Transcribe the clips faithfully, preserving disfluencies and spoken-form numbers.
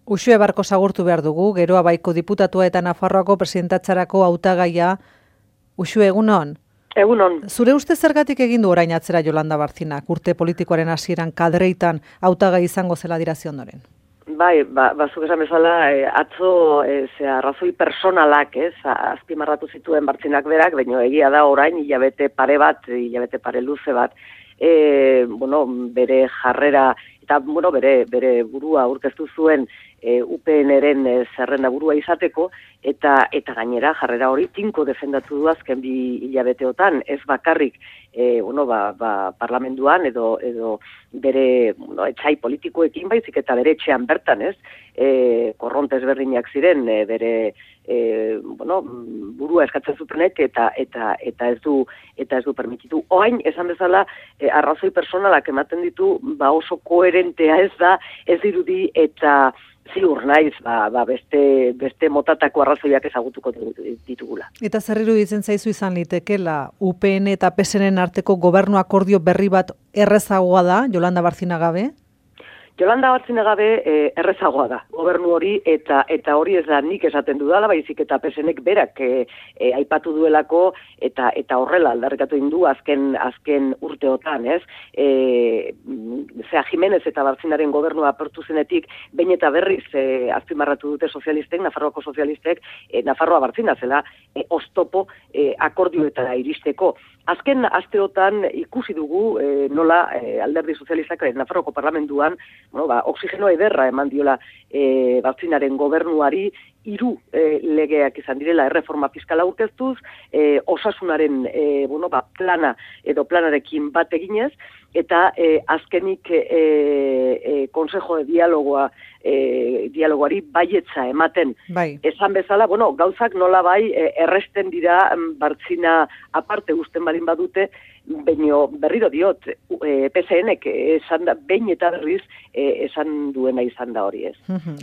Uxue Barkos agurtu behar dugu, Geroa Baiko diputatua eta Nafarroako presidentatzarako hautagaia. Uxue, egunon? Egunon. Zure uste zergatik egin du orain atzera Jolanda Bartzinak, urte politikoaren hasieran kadreitan hautagai izango zela dirazi ondoren? Bai, ba, bazuk esan bezala, e, atzo e, zera, razoi personalak, ez, azpimarratu zituen Bartzinak berak, baina egia da orain hilabete pare bat, hilabete pare luze bat, e, bueno, bere jarrera, eta bueno, bere, bere burua aurkeztu zuen e, U P N-ren e, zerrenda burua izateko, eta eta gainera jarrera hori tinko defendatu du azken bi hilabeteotan, ez bakarrik e, bueno, ba, ba, parlamentuan edo edo bere bueno, etxai politikoekin baizik eta bere etxean bertan, ez? E, korronte ezberdinak ziren e, bere e, bueno, burua eskatzen zutenek eta eta eta ez du eta ez du permititu. Orain esan bezala e, arrazoi personalak ematen ditu, ba oso koherentea ez da, ez dirudi eta ziur naiz, ba, ba beste, beste motatako arrazoiak ezagutuko ditugula. Eta zer iruditzen zaizu izan litekela U P N eta P S N-en arteko gobernu akordio berri bat errezagoa da, Jolanda Bartzinak gabe? Jolanda Bartzinak gabe eh, errezagoa da, gobernu hori, eta eta hori ez da nik esaten dudala, baizik eta P S N-ek berak eh, eh, aipatu duelako, eta eta horrela aldarrikatu indu azken azken urteotan, ez? E, zera, Jimenez eta Bartzinaren gobernua apertu zenetik, behin eta berriz eh, azpimarratu dute sozialistek, Nafarroako sozialistek, eh, Nafarroa Bartzina zela, eh, oztopo eh, akordioetara iristeko. Azken asteotan ikusi dugu eh, nola eh, alderdi sozialistak eh, Nafarroako parlamentuan, bueno, ba, oxigeno ederra eman diola eh, Bartzinaren gobernuari, hiru eh, legeak izan direla erreforma fiskala aurkeztuz, eh, osasunaren eh, bueno, ba, plana edo planarekin bat eginez, eta eh, azkenik eh, eh, Consejo de Dialogoa eh, dialogoari baietza ematen. Bai. Esan bezala, bueno, gauzak nola bai eh, erresten dira Bartzina aparte uzten balin badute, baino berriro diot, e, P S N-ek esan da, behin eta berriz e, esan duena izan da hori, ez.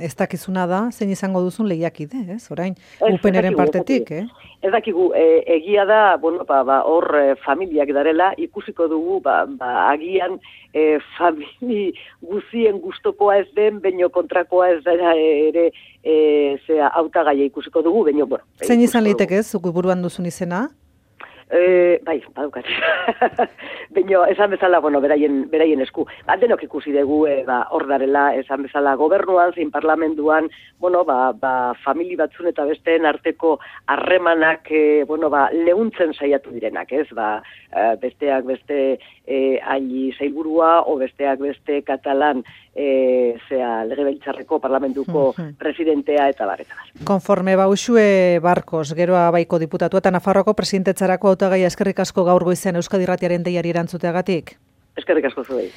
Ez dakizuna da, zein izango duzun lehiakide, ez? Orain, U P N-ren partetik, eh? Ez dakigu, e, egia da, bueno, ba, ba, hor e, familiak darela, ikusiko dugu, ba, ba, agian e, famili guzien gustokoa ez den, baino kontrakoa ez dara ere, e, zera, hautagaia ikusiko dugu, baino, bueno. Zein izan liteke, zuk buruan duzun izena? E, bai, badukat. Baina, esan bezala, bueno, beraien, beraien esku. Ba, denok ikusi dugu, e, ba, hor darela, esan bezala, gobernuan, zein parlamentuan, bueno, ba, ba, famili batzun eta besteen arteko harremanak, e, bueno, ba, lehuntzen saiatu direnak, ez? Ba, e, besteak beste e, aili zailburua, o besteak beste katalan, e, zea, legebiltzarreko parlamentuko presidentea eta bar, eta bar. Konforme ba, Uxue Barkos, Geroa Baiko diputatua eta Nafarroako presidentetzarako hautagaia, eskerrik asko gaur goizean Euskadi Irratiaren deiari erantzuteagatik. Eskerrik asko zuei.